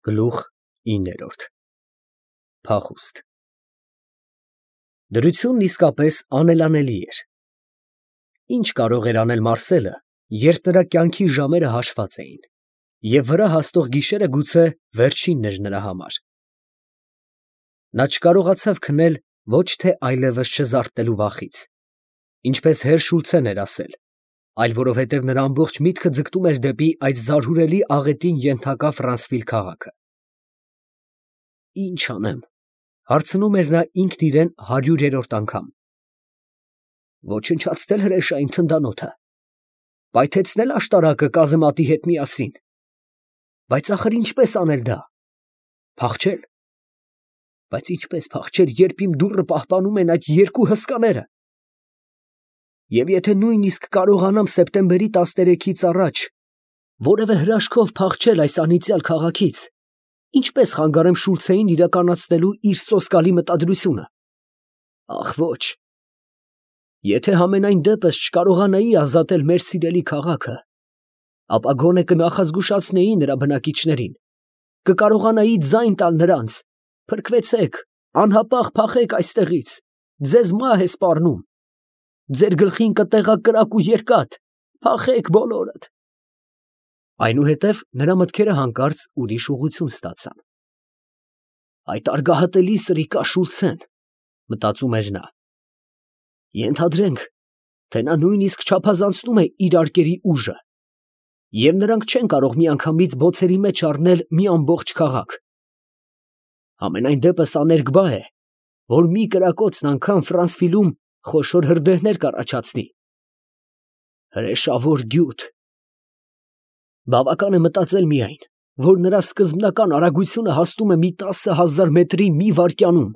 Գլուխ 9 Փախուստ Դրությունն իսկապես անելանելի էր։ Ինչ կարող էր անել Մարսելը, երբ նրա կյանքի ժամերը հաշված էին, և վրա հասնող գիշերը գուցե վերջինն էր նրա համար։ Նա չկարողացավ քնել ոչ թե այլևս չզարթնելու վախից, ինչպես հեր Շուլցեն էր ասել, այլ որովհետև նրա ամբողջ միտքը ձգտում էր դեպի այդ զարհուրելի աղետին ենթակա Ֆրանսվիլ քաղաքը։ Ի՞նչ անեմ, հարցնում էր նա ինքն իրեն 100-րդ անգամ։ Ոչնչացնել հրեշային թնդանոթը, պայթեցնել աշտարակը կազեմատի հետ միասին, բայց ախր ինչպես անել դա, փախչել, բայց ինչպես փախչել, երբ իմ դուռը պահպանում են այդ երկու հսկաները, և եթե նույնիսկ կարողանամ սեպտեմբերի 13-ից առաջ որևէ հրաշքով փախչել այս անիծյալ քաղաքից, ինչպես խանգարեմ Շուլցեին իրականացնելու իր սոսկալի մտադրությունը։ Ախ ոչ, եթե համենայն դեպս չկարողանայի ազատել մեր սիրելի քաղաքը, ապա գոնե կնախազգուշացնեի նրա բնակիչներին, կկարողանայի ձայն տալ նրանց. փրկվեցեք, անհապաղ փախեք այստեղից, ձեզ մահ է սպառնում, ձեր գլխին կտեղա կրակ ու երկաթ, փախեք բոլորդ։ Այնուհետև նրա մտքերը հանկարծ ուրիշ ուղղություն ստացան։ Այդ արգահատելի սրիկա Շուլցեն, մտածում էր նա, ենթադրենք, թե նա նույնիսկ չափազանցնում է իր արկերի ուժը, և նրանք չեն կարող միանգամից բոցերի մեջ առնել մի ամբողջ քաղաք։ Համենայն դեպս աներկբա է, որ մի կրակոցն անգամ Ֆրանսվիլում խոշոր հրդեհներ կառաջացնի։ Հրեշավոր գյուտ։ Բավական է մտածել միայն, որ նրա սկզբնական արագությունը հասնում է մի 10,000 մետրի մի վայրկյանում,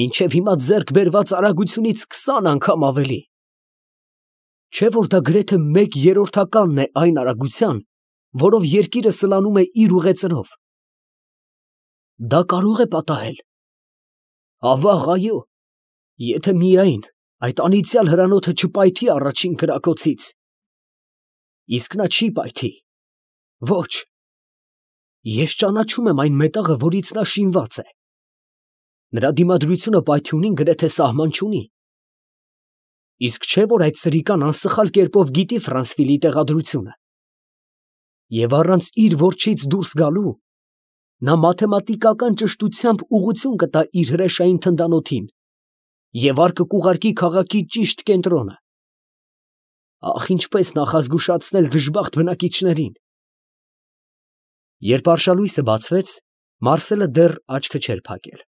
մինչև հիմա ձեռք բերված արագությունից 20 անգամ ավելի։ Չէ՞ որ դա գրեթե 1/3-ն է այն արագության, որով երկիրը սլանում է իր ուղեծրով։ Դա կարող է պատահել։ Ավաղ, այո, եթե միայն այդ անիծյալ հրանոթը չպայթի առաջին կրակոցից։ Իսկ նա չի պայթի։ Ոչ, ես ճանաչում եմ այն մետաղը, որից նա շինված է։ Նրա դիմադրությունը պայթյունին գրեթե սահման չունի։ Իսկ չէ՞ որ այդ սրիկան անսխալ կերպով գիտի Ֆրանսվիլի տեղադրությունը։ Եվ առանց իր որջից դուրս գալու, նա մաթեմատիկական ճշտությամբ ուղղություն կտա իր հրեշային թնդանոթին և առ կուղարկի քաղաքի ճիշտ կենտրոնը։ Ախ, ինչպես նախազգուշացնել դժբախտ բնակիչներին։ Երբ արշալույսը բացվեց, Մարսելը դեռ աչքը չէր փակել։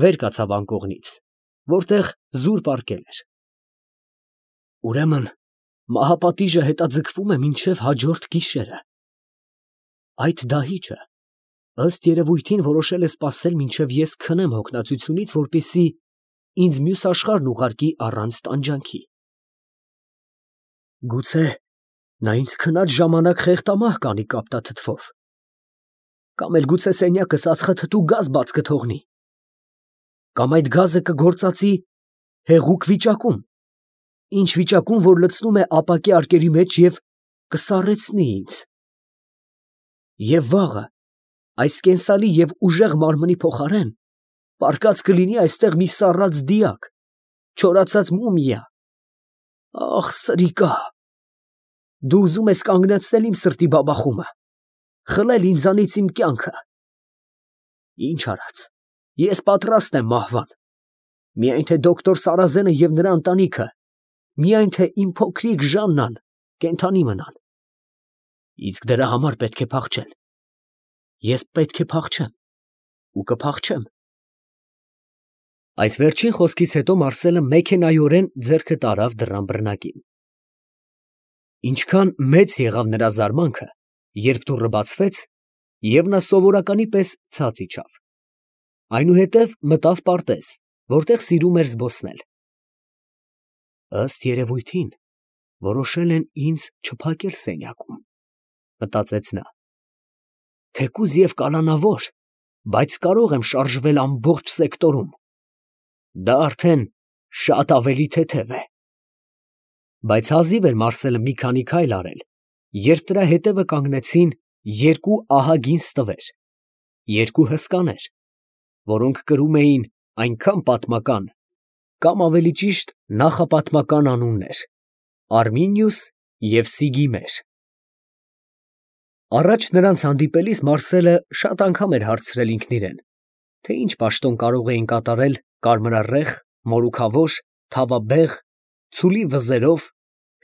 Վեր կացավ անկողնից, որտեղ զուր պառկել էր։ Ուրեմն մահապատիժը հետաձգվում է մինչև հաջորդ գիշերը։ Այդ դահիճը, ըստ երևույթին, որոշել է սպասել, մինչև ես քնեմ հոգնածությունից, որպեսզի ինձ մյուս աշխարհն ուղարկի առանց տանջանքի։ Գուցե նա ինձ քնած ժամանակ խեղդամահ կանի կապտաթթվով, կամ էլ գուցե սենյակս ածխաթթու գազ բաց կթողնի, կամ այդ գազը կգործածի հեղուկ վիճակում, ինչ վիճակում, որ լցնում է ապակե արկերի մեջ և կսառեցնի ինձ։ Եվ վաղը այս կենսալի և ուժեղ մարմնի փոխարեն պառկած կլինի այստեղ մի սառած դիակ, չորացած մումիա։ Ախ, սրիկա, դու ուզում ես կանգնեցնել իմ սրտի բաբախումը, խլել ինձանից իմ կյանքը։ Ինչ արած, ես պատրաստ եմ մահվան, միայն թե դոկտոր Սարազենը և նրա ընտանիքը, միայն թե իմ փոքրիկ Ժաննան կենդանի մնան։ Իսկ դրա համար պետք է փախչել։ Ես պետք է փախչեմ ու կփախչեմ։ Այս վերջին խոսքից հետո Մարսելը մեքենայորեն ձեռքը տարավ դռան բռնակին։ Ինչքան մեծ եղավ նրա զարմանքը, երբ դուռը բացվեց, և նա սովորականի պես ցած իջավ։ Այնուհետև մտավ պարտեզ, որտեղ սիրում էր զբոսնել։ Ըստ երևույթին, որոշել են ինձ չփակել սենյակում, մտածեց նա։ Թեկուզ և կալանավոր, բայց կարող եմ շարժվել ամբողջ սեկտորում։ Դա արդեն շատ ավելի թեթև է։ Բայց հազիվ էր Մարսելը մի քանի քայլ արել, երբ նրա հետևը կանգնեցին երկու ահագին ստվեր, երկու հսկաներ, որոնք կրում էին այնքան պատմական, կամ ավելի ճիշտ նախապատմական անուններ. Արմինիուս և Սիգիմեր։ Առաջ նրանց հանդիպելիս Մարսելը շատ անգամ էր հարցրել ինքն իրեն, թե ինչ պաշտոն կարող էին կատարել կարմրառեխ, մորուքավոր, թավաբեղ, ցուլի վզերով,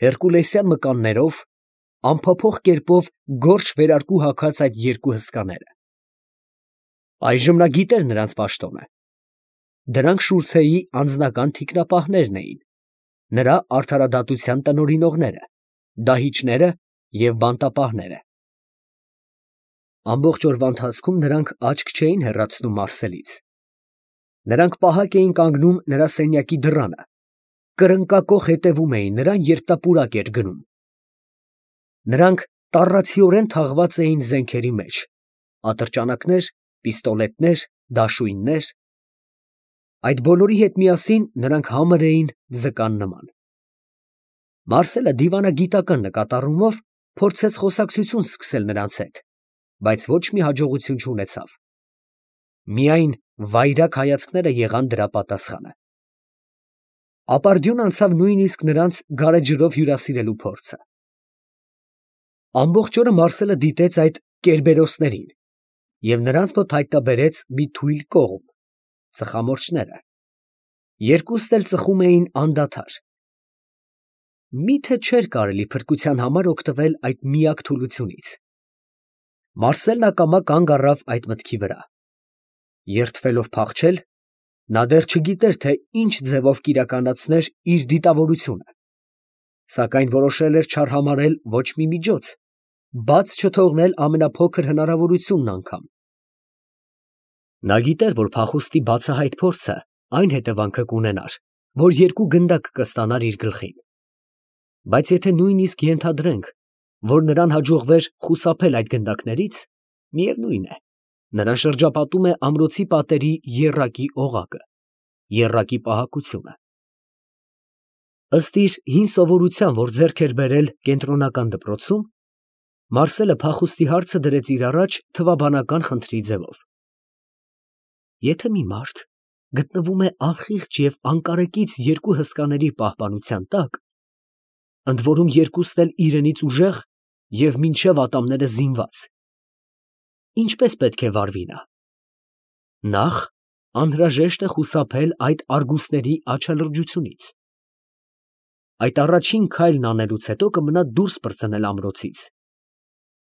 հերկուլեսյան մկաններով, անփոփոխ կերպով գորշ վերարկու հագած այդ երկու հսկաները։ Այժմ նա գիտեր նրանց պաշտոնը. դրանք Շուլցեի անձնական թիկնապահներն էին, նրա արդարադատության տնօրինողները, դահիճները և բանտապահները։ Ամբողջ օրվա ընթացքում նրանք աչք չէին հեռացնում Մարսելից։ Նրանք պահակ էին կանգնում նրա սենյակի դռանը, կրնկակոխ հետևում էին նրան, երբ նա պուրակ էր գնում։ Նրանք տառացիորեն թաղված էին զենքերի մեջ. ատրճանակներ, պիստոլետներ, դաշույններ։ Այդ բոլորի հետ միասին նրանք համր էին ձկան նման։ Մարսելը դիվանագիտական նկատառումով փորձեց խոսակցություն սկսել նրանց հետ, բայց ոչ մի հաջողություն չունեցավ։ Միայն վայրագ հայացքները եղան դրա պատասխանը։ Ապարդյուն անցավ նույնիսկ նրանց գարեջրով հյուրասիրելու փորձը։ Ամբողջ օրը Մարսելը դիտեց այդ կերբերոսներին և նրանց մոտ հայտնաբերեց մի թույլ կողմ՝ ծխամորճները։ Երկուսն էլ ծխում էին անդադար։ Մի՞թե չէր կարելի փրկության համար օգտվել այդ միակ թուլությունից։ Մարսելն ակամա կանգ առավ այդ մտքի վրա։ Երդվելով փախչել, նա դեռ չգիտեր, թե ինչ ձևով կիրականացներ իր դիտավորությունը, սակայն որոշել էր չարհամարհել ոչ մի միջոց, բաց չթողնել ամենափոքր հնարավորությունն անգամ։ Նա գիտեր, որ փախուստի բացահայտ փորձը այն հետևանքը կունենար, որ երկու գնդակ կստանար իր գլխին։ Բայց եթե նույնիսկ ենթադրենք, որ նրան հաջողվեր խուսափել այդ գնդակներից, միևնույն է, նրան շրջապատում է ամրոցի պատերի եռակի օղակը, եռակի պահակությունը։ Ըստ իր հին սովորության, որ ձեռք էր բերել կենտրոնական դպրոցում, Մարսելը փախուստի հարցը դրեց իր առաջ թվաբանական խնդրի ձևով։ Եթե մի մարդ գտնվում է անխիղճ և անկարեկից երկու հսկաների պահպանության տակ, ընդ որում երկուսն էլ իրենից ուժեղ և մինչև ատամները զինված, ինչպե՞ս պետք է վարվի նա։ Նախ անհրաժեշտ է խուսափել այդ արգուսների աչալրջությունից։ Այդ առաջին քայլն անելուց հետո կմնա դուրս պրծնել ամրոցից,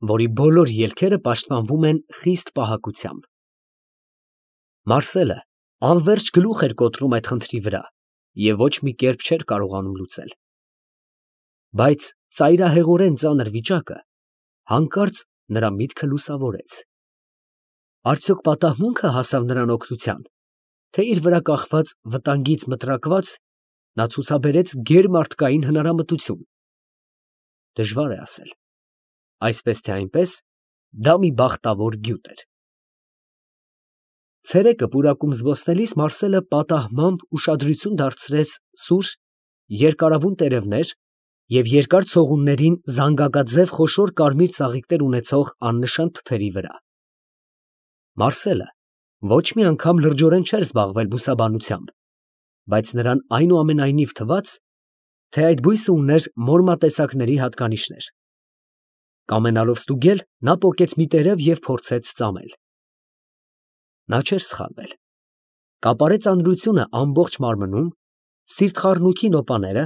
որի բոլոր ելքերը պաշտպանվում են խիստ պահակությամբ։ Մարսելը անվերջ գլուխ էր կոտրում այդ խնդրի վրա և ոչ մի կերպ չէր կարողանում լուծել։ Բայց ծայրահեղորեն ծանր վիճակը հանկարծ նրա միտքը լուսավորեց։ Արդյոք պատահմունքը հասավ նրան օգնության, թե իր վրա կախված վտանգից մտրակված նա ցուցաբերեց գերմարդկային հնարամտություն։ Դժվար է ասել։ Այսպես թե այնպես, դա մի բախտավոր գյուտ էր։ Ցերեկը պուրակում զբոսնելիս Մարսելը պատահմամբ ուշադրություն դարձրեց սուր, երկարավուն տերևներ և երկար ցողուններին զանգակաձև խոշոր կարմիր ծաղիկներ ունեցող աննշան թփերի վրա։ Մարսելը ոչ մի անգամ լրջորեն չէր զբաղվել բուսաբանությամբ, բայց նրան այնուամենայնիվ թվաց, թե այդ բույսը ուներ մորմատեսակների հատկանիշներ։ Կամենալով ստուգել, նա պոկեց մի տերև և փորձեց ծամել։ Նա չէր սխալվել։ Կապարե ծանրությունը ամբողջ մարմնում, սիրտխառնույքի նոպաները,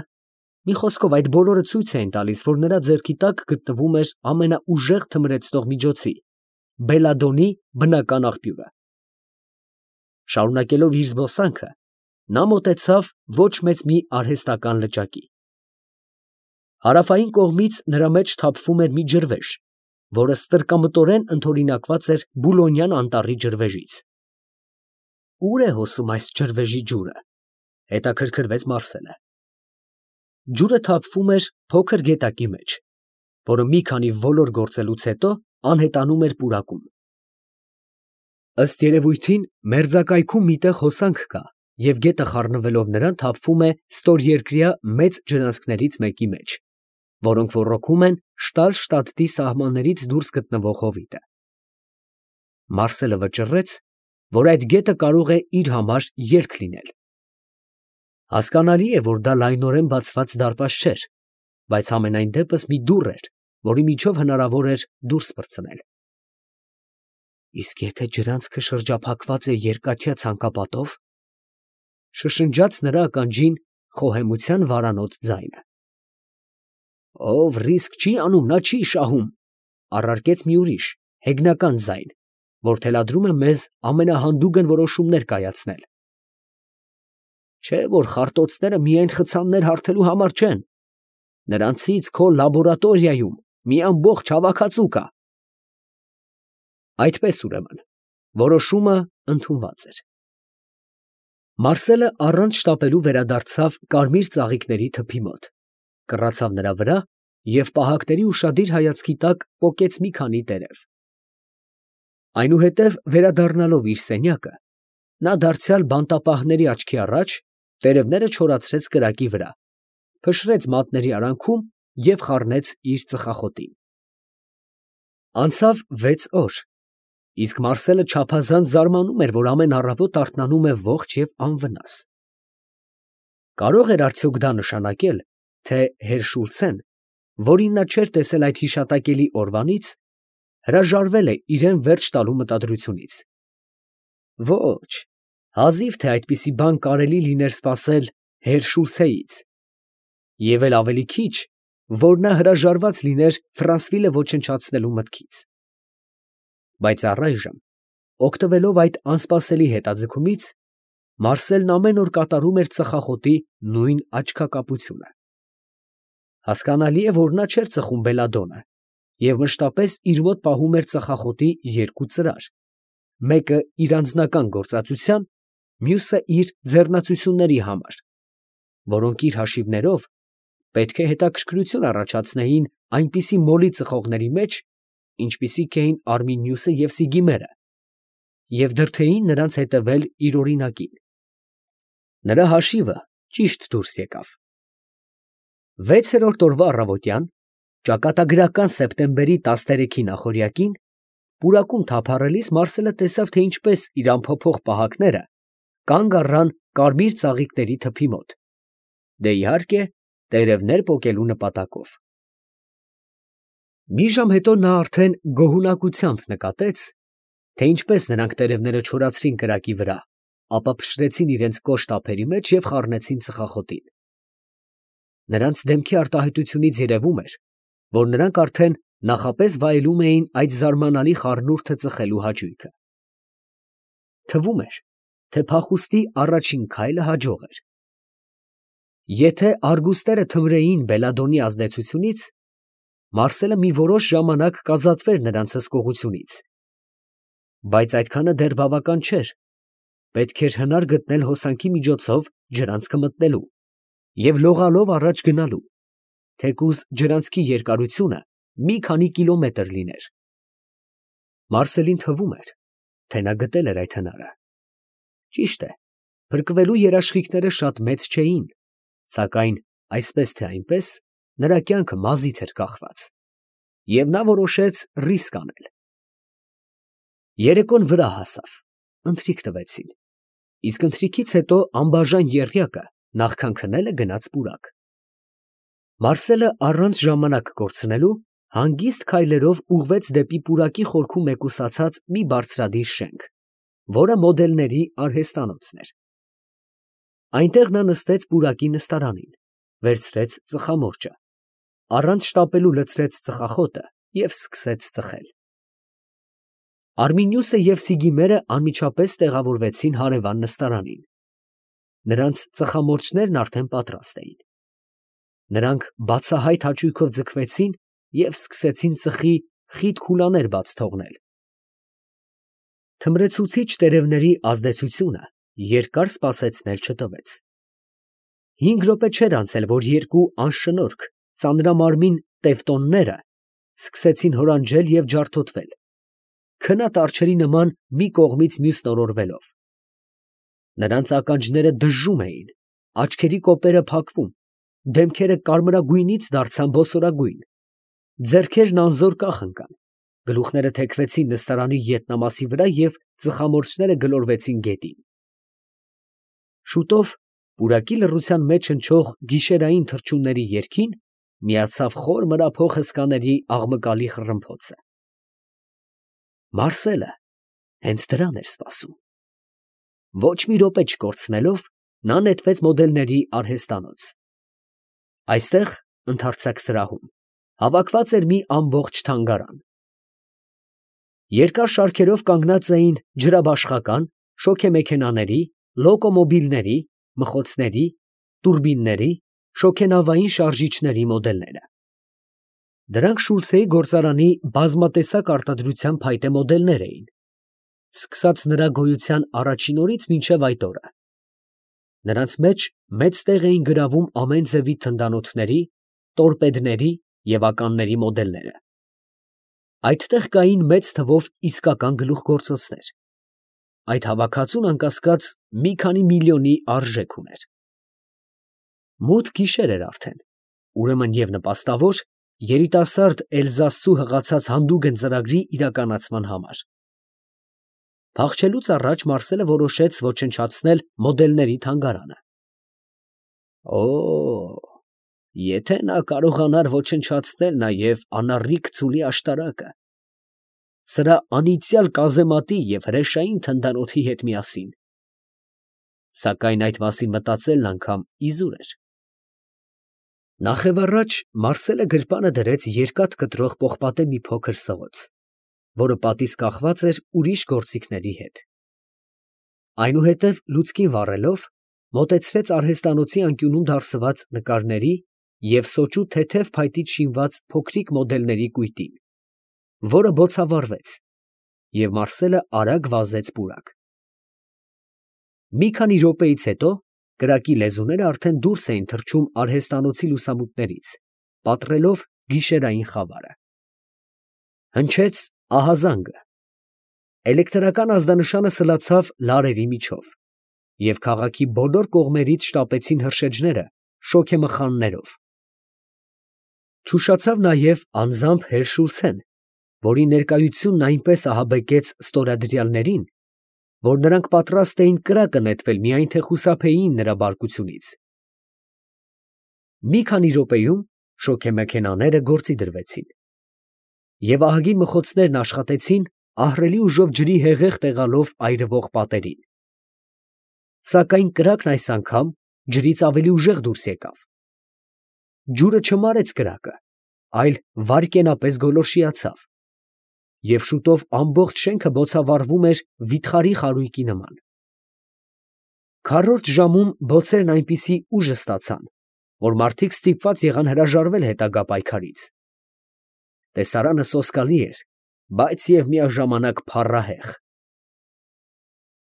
մի խոսքով այդ բոլորը ցույց էին տալիս, որ նրա ձեռքի տակ գտնվում էր ամենաուժեղ թմրեցնող միջոցի՝ բելադոնի բնական աղբյուրը։ Շարունակելով իր զբոսանքը, նա մոտեցավ ոչ մեծ մի արհեստական լճակի։ Հարավային կողմից նրա մեջ թափվում էր մի ջրվեժ, որը ստրկամտորեն ընդօրինակված էր Բուլոնյան անտառի ջրվեժից։ Ո՞ւր է հոսում այս ջրվեժի ջուրը, հետաքրքրվեց Մարսելը։ Ջուրը թափվում էր փոքր գետակի մեջ, որը մի քանի ոլոր գործելուց հետո անհետանում էր պուրակում։ Ըստ երևույթին, մերձակայքում մի տեղ հոսանք կա, և գետը խառնվելով նրան թափվում է ստորերկրյա մեծ ջրանցքներից մեկի մեջ։ որոնք ոռոգում են Շտալշտադտի սահմաններից դուրս գտնվող հովիտը։ Մարսելը վճռեց, որ այդ գետը կարող է իր համար ելք լինել։ Հասկանալի է, որ դա լայնորեն բացված դարպաս չէր, բայց համենայն դեպս մի դուռ էր, որի միջով հնարավոր էր դուրս պրծնել։ Իսկ եթե ջրանցքը շրջափակված է երկաթյա ցանկապատով, շշնջաց նրա ականջին խոհեմության վարանոտ ձայնը։ Ով ռիսկ չի անում, նա չի շահում, առարկեց մի ուրիշ, հեգնական ձայն, որ թելադրում է մեզ ամենահանդուգն որոշումներ կայացնել։ Չէ, որ խարտոցները միայն խցաններ հարթելու համար չեն, նրանցից քո լաբորատորիայում մի ամբողջ հավաքածու կա։ Այդպես ուրեմն, որոշումը ընդունված էր։ Մարսելը առանց շտապելու վերադարձավ կարմիր ծաղիկների թփի մոտ, կռացավ նրա վրա և պահակների ուշադիր հայացքի տակ պոկեց մի քանի տերև։ Այնուհետև վերադառնալով իր սենյակը, նա դարձյալ բանտապահների աչքի առաջ տերևները չորացրեց կրակի վրա, փշրեց մատների արանքում և խառնեց իր ծխախոտին։ Անցավ 6 օր, իսկ Մարսելը չափազանց զարմանում էր, որ ամեն առավոտ արթնանում է ողջ և անվնաս։ Կարող էր արդյոք դա նշանակել, թե հեր Շուլցեն, որին նա չէր տեսել այդ հիշատակելի օրվանից, հրաժարվել է իրան վերջ տալու մտադրությունից։ Ոչ, հազիվ թե այդպիսի բան կարելի լիներ սպասել հեր Շուլցեից, և էլ ավելի քիչ, որ նա հրաժարված լիներ Ֆրանսվիլը ոչնչացնելու մտքից։ Բայց առայժմ, օգտվելով այդ անսպասելի հետաձգումից, Մարսելն ամեն օր կատարում էր ծխախոտի նույն աչքակապությունը։ Հասկանալի է, որ նա չէր ծխում բելադոնը և մշտապես իր մոտ պահում էր ծխախոտի 2 ծրար, մեկը իր անձնական գործածության, մյուսը իր ձեռնացությունների համար, որոնք իր հաշիվներով պետք է հետաքրքրություն առաջացնեին այնպիսի մոլի ծխողների մեջ, ինչպիսիք էին Արմինիուսը և Սիգիմերը, և դրդեին նրանց հետևել իր օրինակին։ Նրա հաշիվը ճիշտ դուրս եկավ։ 6-րդ օրվա առավոտյան, ճակատագրական սեպտեմբերի 13-ի նախօրյակին, պուրակում թափառելիս Մարսելը տեսավ, թե ինչպես իր անփոփոխ պահակները կանգ առան կարմիր ծաղիկների թփի մոտ, դե իհարկե, տերևներ պոկելու նպատակով։ Մի ժամ հետո նա արդեն գոհունակությամբ նկատեց, թե ինչպես նրանք տերևները չորացրին կրակի վրա, ապա փշրեցին իրենց կոշտ ափերի մեջ և խառնեցին ծխախոտին։ Նրանց դեմքի արտահայտությունից երևում էր, որ նրանք արդեն նախապես վայելում էին այդ զարմանալի խառնուրդը ծխելու հաճույքը։ Թվում էր, թե փախուստի առաջին քայլը հաջող էր։ Եթե արգուստերը թմրեին բելադոնի ազդեցությունից, Մարսելը մի որոշ ժամանակ կազատվեր նրանց հսկողությունից, բայց այդքանը դեռ բավական չէր, պետք էր հնար գտնել հոսանքի միջոցով ջրանցքը մտնելու և լողալով առաջ գնալու, թեկուզ ջրանցքի երկարությունը մի քանի կիլոմետր լիներ։ Մարսելին թվում էր, թե նա գտել էր այդ հնարը։ Ճիշտ է, փրկվելու երաշխիքները շատ մեծ չէին, սակայն այսպես թե այնպես նրա կյանքը մազից էր կախված, և նա որոշեց ռիսկ անել։ Երեկոն վրա հասավ, ընթրիք տվեցին, իսկ ընթրիքից հետո անբաժան եռյակը, նախքան քնելը, գնաց պուրակ։ Մարսելը առանց ժամանակ կորցնելու հանգիստ քայլերով ուղղվեց դեպի պուրակի խորքում մեկուսացած մի բարձրադիր շենք, որը մոդելների արհեստանոցն էր։ Այնտեղ նա նստեց պուրակի նստարանին, վերցրեց ծխամորճը, առանց շտապելու լցրեց ծխախոտը և սկսեց ծխել։ Արմինիուսը և Սիգիմերը անմիջապես տեղավորվեցին հարևան նստարանին։ Նրանց ծխամորճներն արդեն պատրաստ էին։ Նրանք բացահայտ հաճույքով ձգվեցին և սկսեցին ծխի խիտ քուլաներ բաց թողնել։ Թմրեցուցիչ տերևների ազդեցությունը երկար սպասեցնել չտվեց։ 5 րոպե չէր անցել, որ երկու անշնորհք, ծանրամարմին տևտոնները սկսեցին հորանջել և ջարդոտվել, քնած արջերի նման մի կողմից մյուսն օրորվելով։ Նրանց ականջները դժժում էին, աչքերի կոպերը փակվում, դեմքերը կարմրագույնից դարձան ոսորագույն, ձեռքերն անզոր կախ ընկան, գլուխները թեքվեցին նստարանի ետնամասի վրա և ծխամորճները գլորվեցին գետին։ Շուտով պուրակի լռության մեջ հնչող գիշերային թռչունների երգին միացավ խոր մրափող հսկաների աղմկալի խռմփոցը։ Մարսելը հենց դրան էր սպասում։ Ոչ մի րոպե չկորցնելով, նա նետվեց մոդելների արհեստանոց։ Այստեղ, ընդարձակ սրահում, հավաքված էր մի ամբողջ թանգարան։ Երկար շարքերով կանգնած էին ջրաբաշխական, շոգեմեքենաների, լոկոմոբիլների, մխոցների, տուրբինների, շոգենավային շարժիչների մոդելները։ Դրանք Շուլցեի գործարանի բազմատեսակ արտադրության փայտե մոդելներ էին, սկսած նրա գոյության առաջին օրից մինչև այդ օրը։ Նրանց մեջ մեծ տեղ էին գրավում ամեն ձևի թնդանոթների, տորպեդների և ականների մոդելները։ Այդտեղ կային մեծ թվով իսկական գլուխգործոցներ։ Այդ հավաքածուն անկասկած մի քանի միլիոնի արժեք ուներ։ Մութ գիշեր էր արդեն, ուրեմն և նպաստավոր երիտասարդ Էլզասցու հղացած հանդուգն ծրագրի իրականացման համար։ Փախչելուց առաջ Մարսելը որոշեց ոչնչացնել մոդելների թանգարանը։ Եթե նա կարողանար ոչնչացնել նաև անառիկ ծուլի աշտարակը, սրա անիծյալ կազեմատի և հրեշային թնդանոթի հետ միասին։ Սակայն այդ մասին մտածելն անգամ իզուր էր։ Նախևառաջ Մարսելը գրպանը դրեց երկաթ կտրող պողպատե մի փոքր սղոց, որը պատից կախված էր ուրիշ գործիքների հետ։ Այնուհետև լուցկին վառելով, մոտեցրեց արհեստանոցի անկյունում դարսված նկարների և սոճու թեթև փայտից շինված փոքրիկ մոդելների կույտին, որը բոցավառվեց, և Մարսելը արագ վազեց պուրակ։ Մի քանի րոպեից հետո կրակի լեզուները արդեն դուրս էին թռչում արհեստանոցի լուսամուտներից, պատռելով գիշերային խավարը։ Հնչեց ահազանգը։ Էլեկտրական ազդանշանը սլացավ լարերի միջով, և քաղաքի բոլոր կողմերից շտապեցին հրշեջները շոգեմխաններով։ Չուշացավ նաև անձամբ հեր Շուլցեն, որի ներկայությունն այնպես ահաբեկեց ստորադրյալներին, որ նրանք պատրաստ էին կրակը նետվել, միայն թե խուսափեին նրա բարկությունից։ Մի քանի րոպեում շոգեմեքենաները գործի դրվեցին, և ահագին մխոցներն աշխատեցին ահռելի ուժով ջրի հեղեղ տեղալով այրվող պատերին։ Սակայն կրակն այս անգամ ջրից ավելի ուժեղ դուրս եկավ։ Ջուրը չմարեց կրակը, այլ վայրկենապես գոլորշիացավ, և շուտով ամբողջ շենքը բոցավառվում էր վիթխարի խարույկի նման։ Քառորդ ժամում բոցերն այնպիսի ուժ ստացան, որ մարդիկ ստիպված եղան հրաժարվել հետագա պայքարից։ Տեսարանը սոսկալի էր, բայց և միաժամանակ փառահեղ։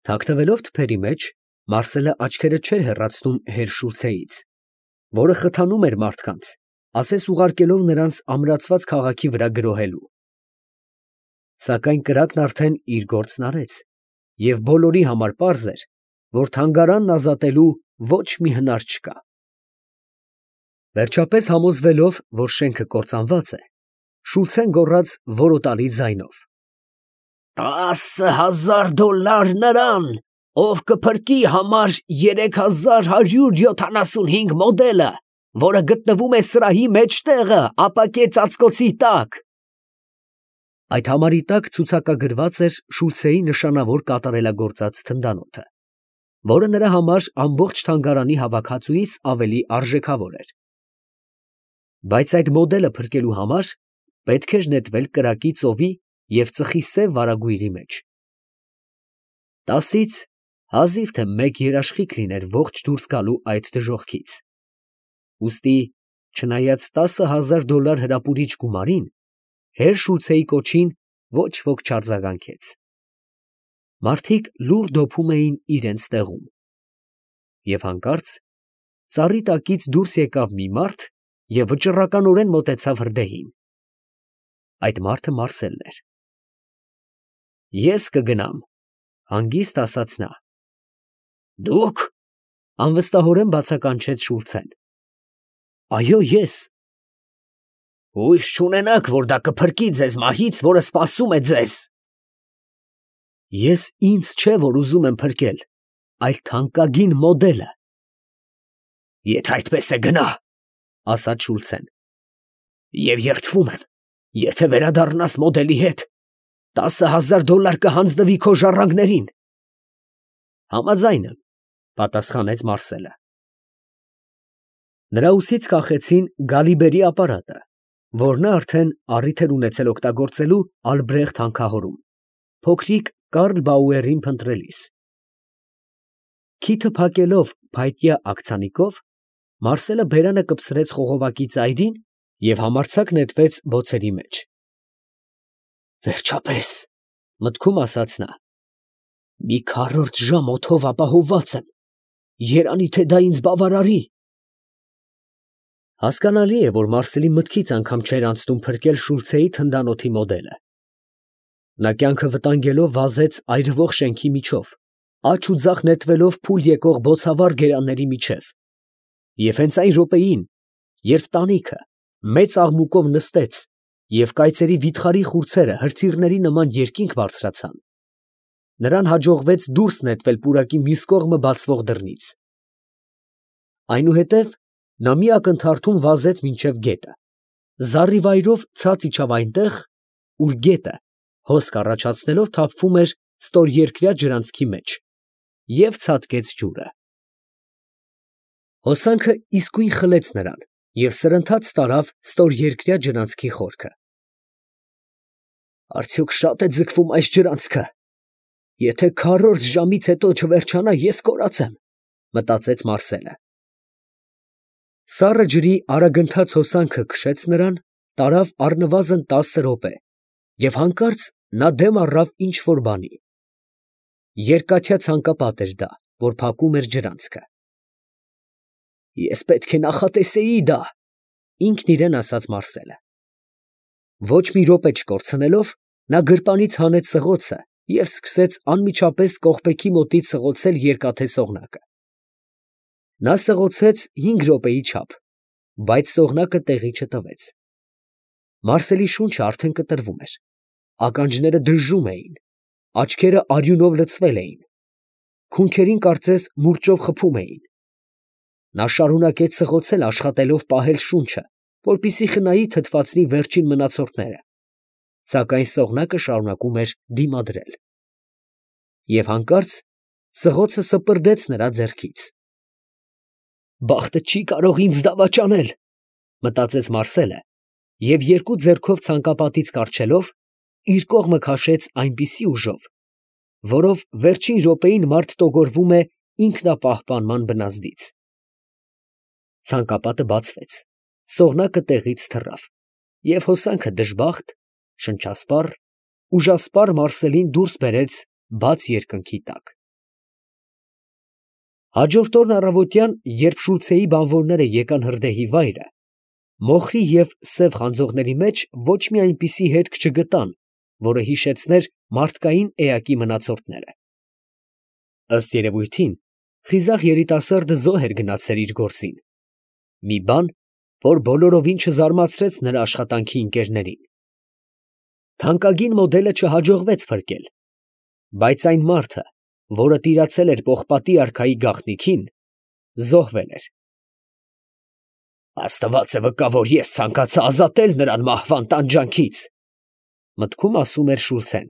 Թաքնվելով թփերի մեջ, Մարսելը աչքերը չէր հեռացնում հեր Շուլցեից, որը խթանում էր մարդկանց, ասես ուղարկելով նրանց ամրացված քաղաքի վրա գրոհելու։ Սակայն կրակն արդեն իր գործն արեց, և բոլորի համար պարզ էր, որ թանգարանն ազատելու ոչ մի հնար չկա։ Վերջապես համոզվելով, որ շենքը կործանված է, Շուլցեն գոռաց որոտալի ձայնով. $10,000 նրան, ով կփրկի համար 3175 մոդելը, որը գտնվում է սրահի մեջտեղը, ապակե ծածկոցի տակ։ Այդ համարի տակ ցուցակագրված էր Շուլցեի նշանավոր կատարելագործած թնդանոթը, որը նրա համար ամբողջ թանգարանի հավաքածուից ավելի արժեքավոր էր։ Բայց այդ մոդելը փրկելու համար պետք էր նետվել կրակի ծովի և ծխի սև վարագույրի մեջ։ 10-ից հազիվ թե մեկ երաշխիք լիներ ողջ դուրս գալու այդ դժոխքից։ Ուստի, չնայած $10,000 հրապուրիչ գումարին, հեր Շուլցեի կոչին ոչ ոք չարձագանքեց։ Մարդիկ լուռ դոփում էին իրենց տեղում։ Եվ հանկարծ ծառի տակից դուրս եկավ մի մարդ և վճռականորեն մոտեցավ հրդեհին։ Այդ մարդը Մարսելն էր։ Ես կգնամ, ֊ հանգիստ ասաց նա։ Դուք, ֊ անվստահորեն բացականչեց Շուլցեն։ Այո, ես։ Հույս չունենաք, որ դա կփրկի ձեզ մահից, որը սպասում է ձեզ։ Ես ինձ չէ, որ ուզում եմ փրկել, այլ թանկագին մոդելը։ Եթե այդպես է, գնա, ասաց Շուլցեն։ Եվ երդվում եմ, եթե վերադառնաս մոդելի հետ, $10,000 կհանձնվի քո ժառանգներին։ Համաձայն եմ, պատասխանեց Մարսելը։ Նրա ուսից կախեցին Գալիբերի ապարատը, որ նա արդեն առիթ էր ունեցել օգտագործելու Ալբրեխտ հանքահորում, փոքրիկ Կարլ Բաուերին փնտրելիս։ Քիթը փակելով փայտյա աքցանիկով, Մարսելը բերանը կպցրեց խողովակի ծայրին և համարձակ նետվեց բոցերի մեջ։ Վերջապես, մտքում ասաց նա, մի քառորդ ժամ օդով ապահովված եմ, երանի թե դա ինձ բավարարի։ Հասկանալի է, որ Մարսելի մտքից անգամ չէր անցնում փրկել Շուլցեի թնդանոթի մոդելը։ Նա կյանքը վտանգելով վազեց այրվող շենքի միջով, աջ ու ձախ նետվելով փուլ եկող բոցավառ գերանների միջև, և հենց այն րոպեին, երբ տանիքը մեծ աղմուկով նստեց և կայծերի վիթխարի խուրձերը հրթիռների նման երկինք բարձրացան, նրան հաջողվեց դուրս նետվել պուրակի մյուս կողմը բացվող դռնից։ Այնուհետև նա մի ակնթարթում վազեց մինչև գետը, զառիվայրով ցած իջավ այնտեղ, ուր գետը, հոսք առաջացնելով, թափվում էր ստորերկրյա ջրանցքի մեջ, և ցատկեց ջուրը։ Հոսանքը իսկույն խլեց նրան և սրընթաց տարավ ստորերկրյա ջրանցքի խորքը։ Արդյոք շատ է ձգվում այս ջրանցքը։ Եթե քառորդ ժամից հետո չվերջանա, ես կորած եմ, մտածեց Մարսելը։ Սառը ջրի արագընթաց հոսանքը քշեց նրան, տարավ առնվազն 10 րոպե, և հանկարծ նա դեմ առավ ինչ֊որ բանի։ Երկաթյա ցանկապատ էր դա, որ փակում էր ջրանցքը։ Ես պետք է նախատեսեի դա, ինքն իրան ասաց Մարսելը։ Ոչ մի րոպե չկորցնելով, նա գրպանից հանեց սղոցը և սկսեց անմիջապես կողպեքի մոտից սղոցել երկաթե սողնակը։ Նա սղոցեց 5 րոպեի չափ, բայց սողնակը տեղի չտվեց։ Մարսելի շունչը արդեն կտրվում էր, ականջները դժժում էին, աչքերը արյունով լցվել էին, քունքերին կարծես մուրճով խփում էին։ Նա շարունակեց սղոցել, աշխատելով պահել շունչը, որպեսզի խնայի թթվածնի վերջին մնացորդները, սակայն սողնակը շարունակում էր դիմադրել։ Եվ հանկարծ սղոցը սպրդեց նրա ձեռքից։ Բախտը չի կարող ինձ դավաճանել, մտածեց Մարսելը, և երկու ձեռքով ցանկապատից կառչելով, իր կողմը քաշեց այնպիսի ուժով, որով վերջին րոպեին մարդ տոգորվում է ինքնապահպանման բնազդից։ Ցանկապատը բացվեց, սողնակը տեղից թռավ, և հոսանքը դժբախտ, շնչասպառ, ուժասպառ Մարսելին դուրս բերեց բաց երկնքի տակ։ Հաջորդ օրն առավոտյան, երբ Շուլցեի բանվորները եկան հրդեհի վայրը, մոխրի և սև խանձողների մեջ ոչ մի այնպիսի հետք չգտան, որը հիշեցներ մարդկային էակի մնացորդները։ Ըստ երևույթին, խիզախ երիտասարդը զոհ էր գնացել իր գործին, մի բան, որ բոլորովին չզարմացրեց նրա աշխատանքի ընկերներին։ Թանկագին մոդելը չհաջողվեց փրկել, բայց այն մարդը, որը տիրացել էր պողպատի արքայի գաղտնիքին, զոհվել էր։ Աստված է վկա, որ ես ցանկացա ազատել նրան մահվան տանջանքից, մտքում ասում էր Շուլցեն։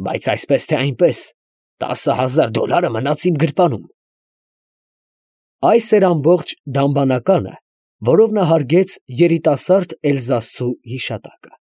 Բայց այսպես թե այնպես, $10,000 մնաց իմ գրպանում։ Այս էր ամբողջ դամբանականը, որով նա հարգեց երիտասարդ էլզասցու հիշատակը։